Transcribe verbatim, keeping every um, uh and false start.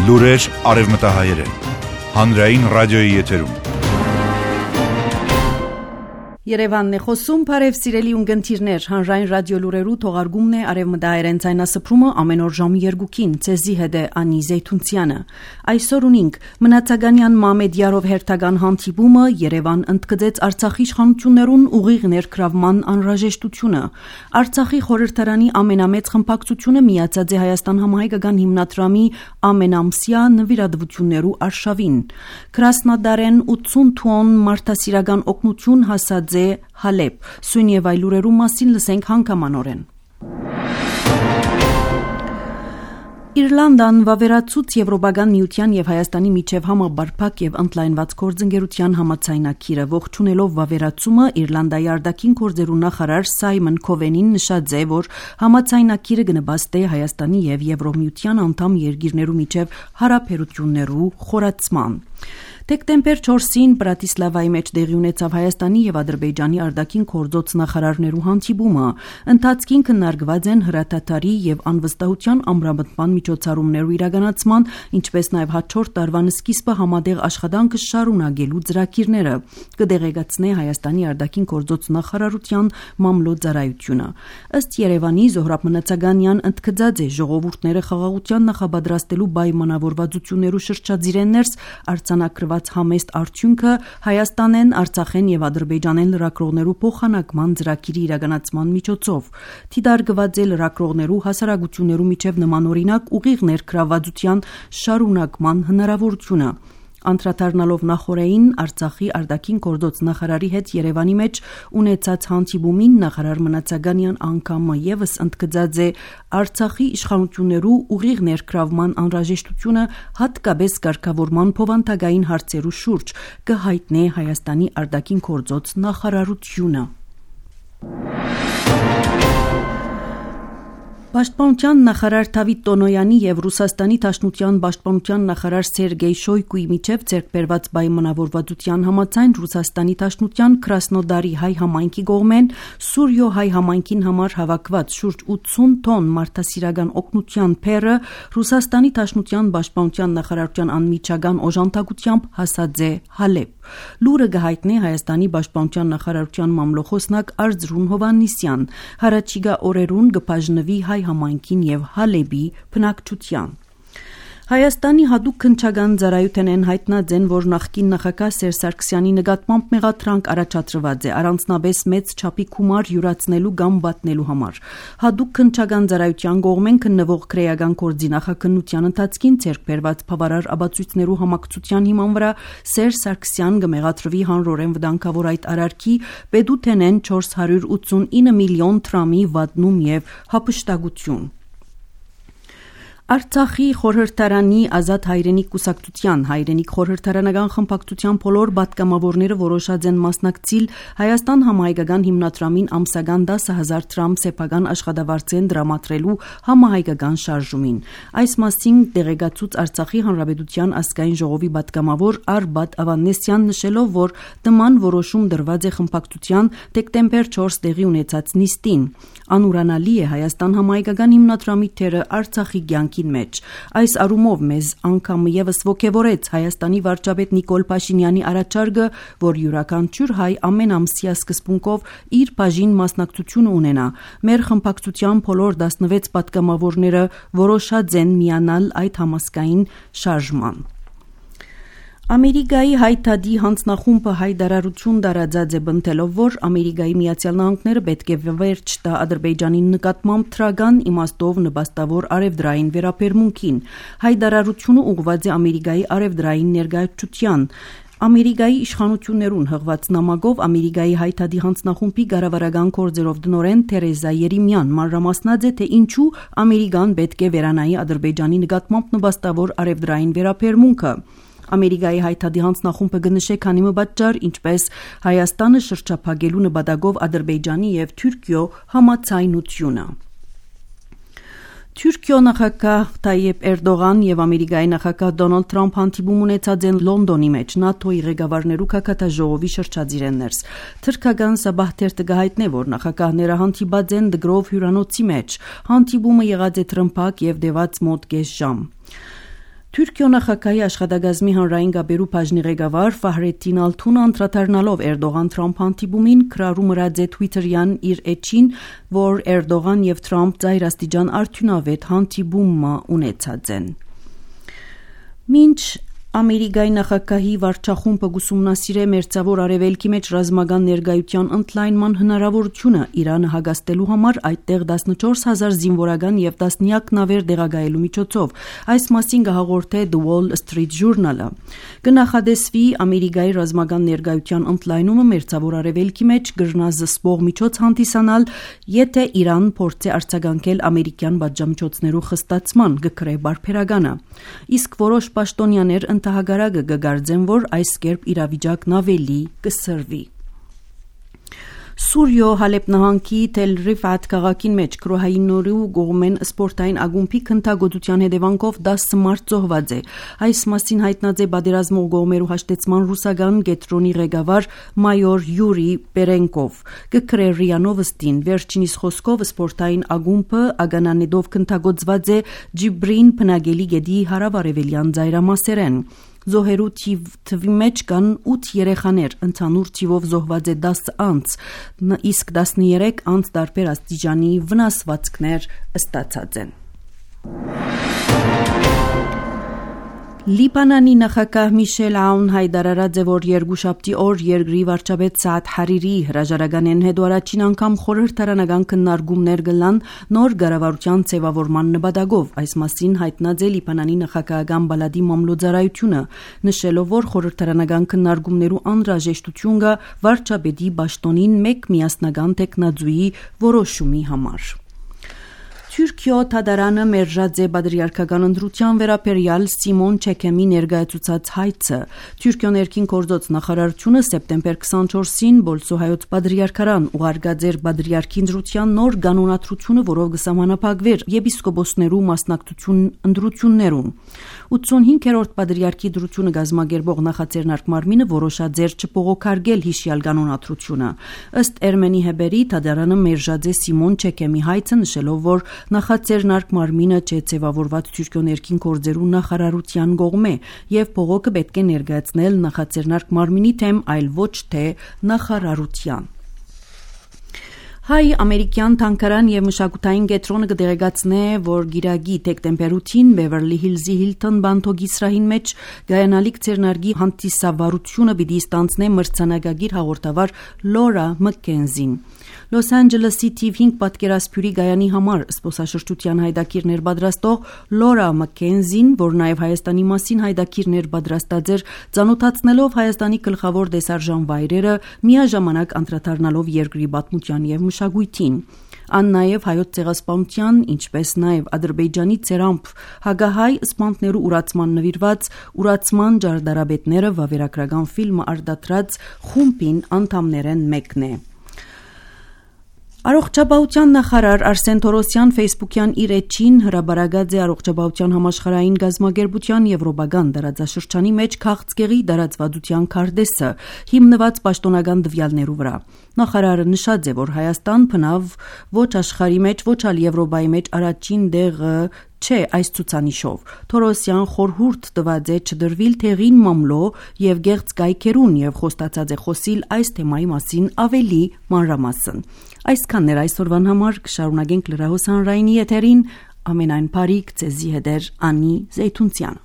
Լուրեր արևմտահայերեն։ Հանրային ռադիոյի եթերում։ Երևանն է խոսում, բարև սիրելի ունգընտիրներ, հանրային ռադիո լուրերու թողարկումն է արևմտահայերեն ցայնասփռումը ամեն օր ժամը երկուքին, ցեզի հետ է Անի Զեյթունցյանը։ Այսօր ունինք Մնացականյան Մամեդյարով հերթական հանդիպումը, Երևան ընդգծեց Արցախի իշխանություններուն ուղիղ ներգրավման անհրաժեշտությունը։ Արցախի խորհրդարանի ամենամեծ խմբակցությունը միացած է Հայաստան համահայկական հիմնադրամի ամենամսյա նվիրատվություններու արշավին։ Կրասնոդարեն ութսուն տոնն մարդասիրական օգնություն հասած Հալեբ, սույն եւ այլ լուրերու մասին լսենք հանգամանորեն։ Իռլանդան վավերացուց Եվրոպական միության եւ Հայաստանի միջև համաբարփակ եւ ընդլայնված գործընկերության համաձայնագիրը ողջունելով վավերացումը Իռլանդայի արտաքին գործերու նախարար Սայմոն Քովենին նշած է, որ համաձայնագիրը կնպաստի Հայաստանի եւ Եվրոմիության անդամ երկիրներու միջև հարաբերություններու խորացման։ Դեկտեմբեր չորսին Բրատիսլավայի մեջ տեղի ունեցավ Հայաստանի եւ Ադրբեջանի արտաքին գործոց նախարարներու հանդիպումը։ Ընթացքին քննարկված են հրաթաթարի եւ անվստահության ամրապնդման միջոցառումներու իրականացման, ինչպես նաեւ հաջորդ տարվան սկիզբը համատեղ աշխատանքը շարունակելու ծրագիրները, կդեղեկացնե Հայաստանի արտաքին գործոց նախարարության մամլոյցարայությունը։ Ըստ Երևանի Զոհրաբ Մնացականյան ընդգծած է ժողովուրդները խաղաղության նախապատրաստելու պայմանավորվածություններու շրջածիրեն ներս արձանագրված համեստ արդյունքը Հայաստանեն, Արցախեն եւ Ադրբեջանեն լրագրողներու փոխանակման ծրագիրի իրականացման միջոցով։ Թիդարգված է լրագրողներու հասարակություններու միջև նմանօրինակ ուղիղ ներգրավվածության շարունակման հնարավորությունը։ Անդրադառնալով նախորդին Արցախի արտաքին գործոց նախարարի հետ Երևանի մեջ ունեցած հանդիպումին նախարար Մնացականյան անգամը եւս ընդգծած է Արցախի իշխանություններու ուղիղ ներգրավման անհրաժեշտությունը հատկապես կարգավորման փոխանցագային հարցերու շուրջ կհայտնի Հայաստանի արտաքին գործոց նախարարությունը։ Պաշտպանության նախարար Դավիթ Տոնոյանի եւ Ռուսաստանի Դաշնության պաշտպանության նախարար Սերգեյ Շոյգուի միջև ձեռքբերված պայմանավորվածության համաձայն Ռուսաստանի Դաշնության Կրասնոդարի հայ համայնքի կողմեն Սուրյո հայ համայնքին համար հավաքված շուրջ ութսուն տոնն մարդասիրական օգնության փերը Ռուսաստանի Դաշնության պաշտպանության նախարարության անմիջական օժանդակությամբ հասած է Հալեբ։ Լուրը գահիտնի Հայաստանի պաշտպանության նախարարության մամլոխոսնակ Արծրուն Հովաննիսյան։ Հարաճիգա օրերուն կբաժնվի հայ համայնքին եւ Հալեբի բնակչության։ Հայաստանի հատուկ քննչական ծառայությունն հայտնած են, որ նախկին նախագահ Սերժ Սարգսյանի նկատմամբ մեղադրանք առաջադրված է առանձնապես մեծ չափի գումար յուրացնելու կամ վատնելու համար։ Հատուկ քննչական ծառայության կողմեն քննվող քրեական գործի նախաքննության ընթացքին ձեռք բերված բավարար ապացույցներու համակցության հիման վրա Սերժ Սարգսյան կմեղադրվի հանրորեն վտանգավոր այդ արարքի պետութենեն չորս հարյուր ութսունինը միլիոն դրամի վատնում եւ հափշտակություն։ Արցախի խորհրդարանի ազատ հայրենիք կուսակցության հայրենիք խորհրդարանական խմբակցության բոլոր պատգամավորները որոշած են մասնակցել Հայաստան համահայկական հիմնադրամին ամսական դասը հազար դրամ սեփական աշխատավարձեն դրամատրելու համահայկական շարժումին։ Այս մասին դեղեկացուց Արցախի հանրապետության ազգային ժողովի պատգամավոր Արբադ Ավանեսյան նշելով, որ նման որոշում դրված է խմբակցության դեկտեմբեր չորս տեղի ունեցած նիստին։ Անուրանալի է Հայաստան համահայկական հիմնադրամի թերը Արցախի կյանքի մեջ։ Այս առումով մեզ անգամ եւս ողջևորեց Հայաստանի վարչապետ Նիկոլ Փաշինյանի առաջարկը, որ յուրաքանչյուր հայ ամեն ամսյա սկզբունքով իր բաժին մասնակցություն ունենա։ Մեր խմբակցության բոլոր տասնվեց պատգամավորները որոշած են միանալ այդ համասկային շարժման։ Ամերիկայի հայտարարի հանձնախումբը հայտարարություն տարածած է բնթելով, որ Ամերիկայի Միացյալ Նահանգները պետք է վերջ տա Ադրբեջանի նկատմամբ թրական իմաստով նպաստավոր արևդրային վերաբերմունքին։ Հայտարարությունը ուղղված է Ամերիկայի արևդրային ներկայացության։ Ամերիկայի իշխանություններուն հղված նամակով Ամերիկայի հայտարարի հանձնախումբի կառավարական գործերով դնորեն Թերեզա Երեմյան մանրամասնած է, թե ինչու Ամերիկան պետք է վերանայի Ադրբեջանի նկատմամբ նպաստավոր արևդրային վերաբերմունքը։ Ամերիկայի հայտարարի հանձնախումբը կնշե քանի մբաճար, ինչպես Հայաստանը շրջափակելու նպատակով Ադրբեջանի եւ Թուրքիո համաձայնությունը։ Թուրքիո նախագահ Թայիպ Էրդողան եւ Ամերիկայի նախագահ Դոնալդ Թրամփ հանդիպում ունեցած են Լոնդոնի մեջ ՆԱՏՕ-ի ղեկավարներու քաղաքաժողովի շրջածիրեն ներս։ Թրքական Սաբահ-թերթը գահիտնե, որ նախագահները հանդիպած են դգրով հյուրանոցի մեջ։ Հանդիպումը եղած է տրմփակ եւ դեված մոտ կես ժամ։ Թուրքիո նախագահի աշխատակազմի հանրային գաբերու բաժնի ղեկավար Ֆահրեդդին Ալթունը անդրադառնալով Էրդողան-Թրամփ հանդիպումին քրարու մրած է Թվիթերյան իր էջին, որ Էրդողան եւ Թրամփ ծայրաստիճան արդյունավետ հանդիպում ունեցած են։ Մինչ Ամերիկայի նախագահի վարչախումբը գուսումնասիրե մերձավոր արևելքի մեջ ռազմական ներկայության ընդլայնման հնարավորությունը Իրանը հագաստելու համար այդտեղ տասնչորս հազար զինվորական եւ տասնյակ նավեր դեղագայելու միջոցով։ Այս մասին կհաղորդե The Wall Street Journal-ը։ Կնախադեсվի Ամերիկայի ռազմական ներկայության ընդլայնումը մերձավոր արևելքի մեջ կգրնա զսպող միջոց հանդիսանալ, եթե Իրան փորձի արձագանքել ամերիկյան պատժամիջոցներու խստացման գկրե բարբերականը։ Իսկ որոշ պաշտոնյաներ Հագարագը գգարձեն, որ այս կերպ իրավիճակն ավելի կսրվի։ Սուրիո Հալեբ նահանգի Թել Ռիֆատ քաղաքին մեջ քրոհայինորու գողմեն սպորտային ագումբի քննագոտության հետևանքով դասը մարդ զոհված է։ Այս մասին հայտնած է պատերազմող գողմերու հաշտեցման ռուսական գետրոնի ղեկավար մայոր Յուրի Պերենկով։ Գկրե ՌԻԱ Նովոստին վերջինիս խոսքով սպորտային ագումբը ագանանեդով քննագործված է Ջիբրին բնագելի գետի հարավարևելյան ծայրամասերեն։ Զոհերու թվի մեջ կան ութ երեխաներ, ընդհանուր թիվով զոհված է դասը անց, իսկ տասներեք անց տարբեր աստիճանի վնասվածքներ ստացած են։ Լիբանանի նախագահ Միշել Աուն հայտարարած է, որ երկուշաբթի օր երկրի վարչապետ Սաադ Հարիրի հրաժարականեն հետո առաջին անգամ խորհրդարանական քննարկումներ կլան նոր կառավարության ձևավորման նպատակով։ Այս մասին հայտնած է Լիբանանի նախագահական բալադի մամլոյցարայությունը, նշելով, որ խորհրդարանական քննարկումներու անհրաժեշտություն կա վարչապետի պաշտոնին մեկ միասնական տեխնաձուի որոշումի համար։ Թուրքիո Թադարանը մերժած է պատրիարքական ընտրության վերաբերյալ Սիմոն Չեքեմի ներկայացուցած հայցը։ Թուրքիո ներքին գործոց նախարարությունը սեպտեմբեր քսանչորսին Բոլսո հայոց պատրիարքարան ուղարկած էր պատրիարքի ընտրության նոր կանոնադրությունը, որով կսահմանափակվեր եպիսկոպոսներու մասնակցություն ընտրություններուն։ ութսունհինգերորդ պատրիարքի ընտրությունը կազմակերպող նախաձեռնարկ մարմինը որոշած էր չփողոքարկել հիշյալ կանոնադրությունը։ Ըստ Էրմենի Հեբերի Թադարանը մերժած է Սիմոն Չեքեմի հայցը, նշելով, որ նախաձեռնարկ մարմինը չէ ձևավորված Թուրքիո ներքին գործերու նախարարության կողմէ եւ փողոքը պետք է ներկայացնել նախաձեռնարկ մարմինի թեմ, այլ ոչ թե նախարարության։ Հայ-ամերիկյան թանկարան եւ մշակութային կենտրոնը կդեղեկացնե, որ գիրագի դեկտեմբերութին Բևերլի Հիլզի Հիլտոն բանթոգի սրահին մեջ գայանալիք ձեռնարկի հանդիսավարությունը պիտի ստանձնե մրցանակագիր հաղորդավար Լորա Մակքենզին։ Լոս Անջելեսի թիվ հինգ պատկերասփյուրի գայանի համար զբոսաշրջության հայդակիրներ պատրաստող Լորա Մակքենզին, որ նաև Հայաստանի մասին հայդակիրներ պատրաստած էր, ծանոթացնելով Հայաստանի գլխավոր տեսարժան վայրերը, միաժամանակ անդրադառնալով երկրի պատմության եւ մշակույթին։ Ան նաև հայոց ցեղասպանության, ինչպես նաև Ադրբեջանի ցերամփ հագահայ սպանտներու ուրացման նվիրված ուրացման ջարդարաբետները վավերագրական ֆիլմը արտադրած խումբին անդամներեն մեկն է։ Առողջապահության նախարար Արսեն Թորոսյան Facebook-յան իր էջին հրաբարացած է առողջապահության համաշխարհային գազագերբության եվրոպական դարաձաշրջանի մեջ քաղցկեղի դարածվածության քարտեզը հիմնված պաշտոնական տվյալներու վրա։ Նախարարը նշած է, որ Հայաստան բնավ ոչ աշխարհի մեջ, ոչ ալ Եվրոպայի մեջ առաջին դեղը չէ այս ցուցանիշով։ Թորոսյան խորհուրդ տված է չդրվիլ թեղին մամլո եւ գեղձ կայքերուն եւ խոստացած է խոսիլ այս թեմայի մասին ավելի մանրամասն։ Այսքանն էր այսօրվան համար, կշարունակենք լրահոս հանրայինի եթերին, ամենայն բարիք ձեզի հետ Անի Զեյթունցյան։